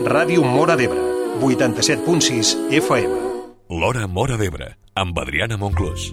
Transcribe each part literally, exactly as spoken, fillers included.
Ràdio Móra d'Ebre, vuitanta-set punt sis F M. L'Hora Móra d'Ebre, amb Adriana Monclús.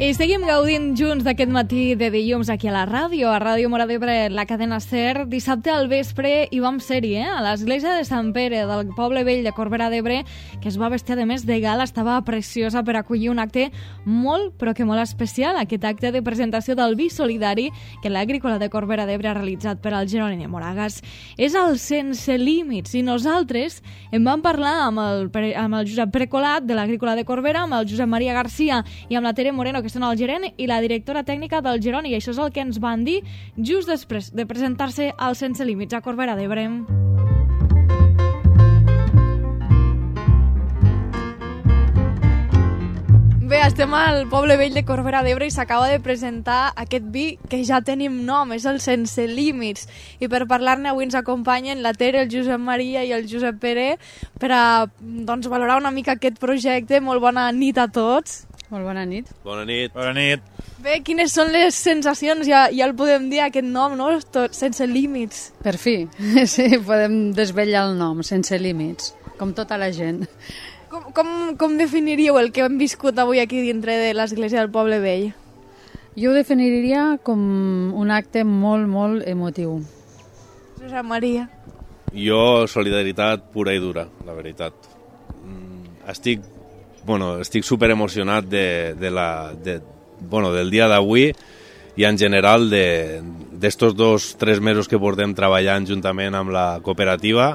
I seguim gaudint junts d'aquest matí de dilluns aquí a la ràdio, a Ràdio Móra d'Ebre, la cadena SER. Dissabte al vespre hi vam ser-hi, eh? A l'església de Sant Pere, del poble vell de Corbera d'Ebre, que es va vestir, a més de gala, estava preciosa per acollir un acte molt, però que molt especial, aquest acte de presentació del vi solidari que l'Agrícola de Corbera d'Ebre ha realitzat per al Jeroni de Moragas. És el Sense Límits, i nosaltres en vam parlar amb el, amb el Josep Precolat, de l'Agrícola de Corbera, amb el Josep Maria Garcia i amb la Tere Moreno, que són el gerent i la directora tècnica del Jeroni, i això és el que ens van dir just després de presentar-se al Sense Límits a Corbera d'Ebre. Bé, estem al poble vell de Corbera d'Ebre i s'acaba de presentar aquest vi que ja tenim nom, és el Sense Límits. I per parlar-ne avui ens acompanyen la Tere, el Josep Maria i el Josep Pere per a doncs, valorar una mica aquest projecte. Molt bona nit a tots. Molt bona nit. Bona nit. Bona nit. Bé, quines són les sensacions? Ja, ja el podem dir, aquest nom, no? Tot, Sense Límits. Per fi, sí, podem desvetllar el nom, Sense Límits, com tota la gent. Com, com, com definiríeu el que hem viscut avui aquí dintre de l'església del Poble Vell? Jo ho definiria com un acte molt, molt emotiu. Josep Maria. Jo, solidaritat pura i dura, la veritat. Estic, bueno, estic super emocionat de, de la, de, bueno, del dia d'avui i en general d'estos dos, tres mesos que portem treballant juntament amb la cooperativa,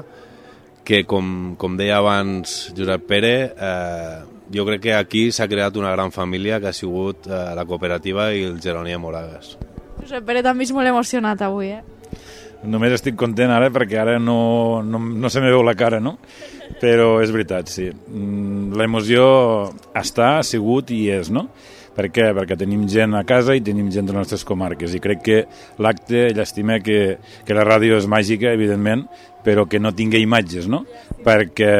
que com, com deia abans Josep Pere, eh, jo crec que aquí s'ha creat una gran família que ha sigut eh, la cooperativa i el Jeroni de Moragas. Josep Pere també és molt emocionat avui, eh? Només estic content ara perquè ara no, no, no se me veu la cara, no? Però és veritat, sí. L'emoció està, ha sigut i és, no? Per què? Perquè tenim gent a casa i tenim gent de les nostres comarques i crec que l'acte, llàstima que, que la ràdio és màgica, evidentment, però que no tingui imatges, no? Perquè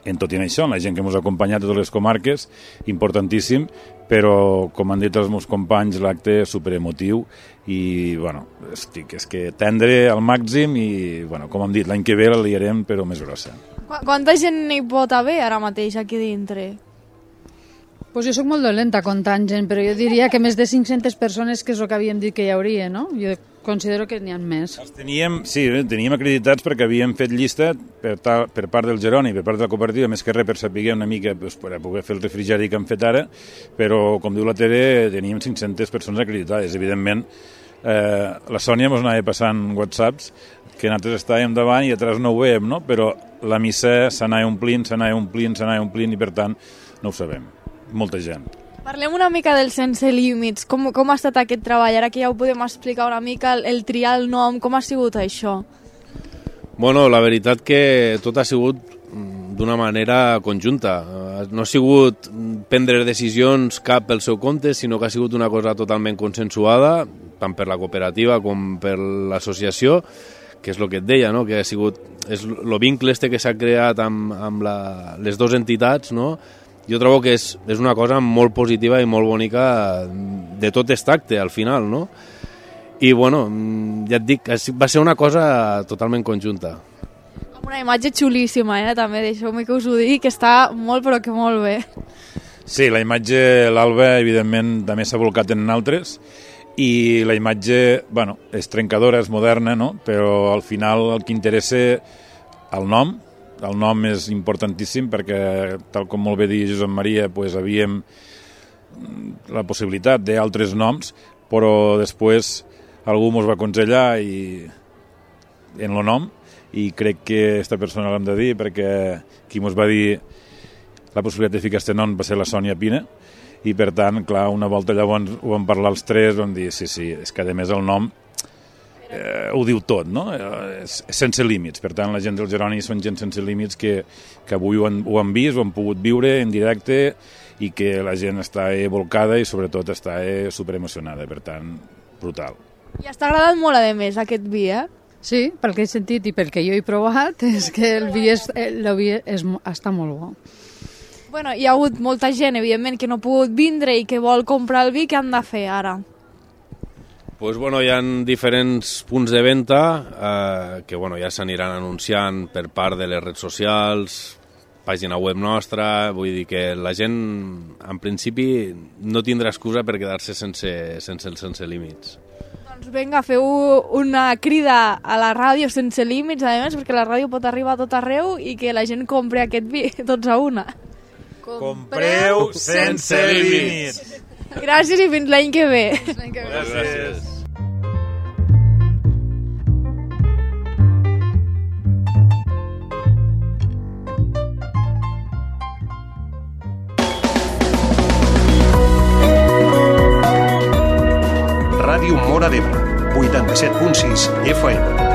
en tot i en això, la gent que ens ha acompanyat a totes les comarques, importantíssim, però, com han dit els meus companys, l'acte és superemotiu i, bueno, estic, és que tendre al màxim i, bueno, com hem dit, l'any que ve la liarem, però més grossa. Qu Quanta gent hi pot haver ara mateix aquí dintre? Pues jo soc molt dolenta comptant gent, però jo diria que més de cinc-centes persones, que és el que havíem dit que hi hauria, no? Jo considero que n'hi ha més. Els teníem, sí, teníem acreditats perquè havíem fet llista per, tal, per part del Jeroni, per part de la cooperativa, més que res per saber una mica pues, per poder fer el refrigeri que hem fet ara, però, com diu la Tere, teníem cinc-centes persones acreditades. Evidentment, eh, la Sònia ens anava passant whatsapps que nosaltres estàvem davant i atrás no ho veiem, no? Però la missa s'anava omplint, s'anava omplint, s'anava omplint i, per tant, no ho sabem. Molta gent. Parlem una mica del Sense Límits. Com, com ha estat aquest treball? Ara que ja ho podem explicar una mica, el, el triar el nom, com ha sigut això? Bueno, la veritat que tot ha sigut d'una manera conjunta. No ha sigut prendre decisions cap pel seu compte, sinó que ha sigut una cosa totalment consensuada, tant per la cooperativa com per l'associació, que és el que et deia, no? Que ha sigut és el vincle este que s'ha creat amb, amb la, les dues entitats, no? Jo trobo que és, és una cosa molt positiva i molt bonica de tot aquest acte, al final, no? I, bueno, ja et dic, va ser una cosa totalment conjunta. Amb una imatge xulíssima, eh, també, deixeu-me que us ho digui, que està molt, però que molt bé. Sí, la imatge, l'Alba, evidentment, també s'ha volcat en altres, i la imatge, bueno, és trencadora, és moderna, no? Però al final el que interessa el nom. El nom és importantíssim perquè, tal com molt bé deia Josep Maria, pues, havíem la possibilitat d'altres noms, però després algú ens va aconsellar i, en el nom, i crec que aquesta persona l'hem de dir perquè qui ens va dir la possibilitat de ficar aquest nom va ser la Sònia Pina, i per tant, clar, una volta llavors ho vam parlar els tres, vam dir, sí, sí, és que a més el nom Eh, ho diu tot, no? Eh, sense límits. Per tant, la gent del Jeroni són gent sense límits que, que avui ho han, ho han vist, ho han pogut viure en directe i que la gent està eh, volcada i sobretot està eh, superemocionada. Per tant, brutal. I està agradat molt, a més, aquest vi, eh? Sí, pel que he sentit i pel que jo he provat, és que el vi, és, el vi és, està molt bo. Bueno, hi ha hagut molta gent, evidentment, que no ha pogut vindre i que vol comprar el vi. Què han de fer ara? Pues, bueno, hi ha diferents punts de venda eh, que bueno, ja s'aniran anunciant per part de les redes socials, pàgina web nostra, vull dir que la gent, en principi, no tindrà excusa per quedar-se sense, sense, sense límits. Doncs vinga, feu una crida a la ràdio sense límits, a més, perquè la ràdio pot arribar a tot arreu i que la gent compri aquest vi tots a una. Compreu sense límits. Gràcies i fins l'any que ve. Gràcies. Ràdio Móra d'Ebre, vuitanta-set punt sis F M.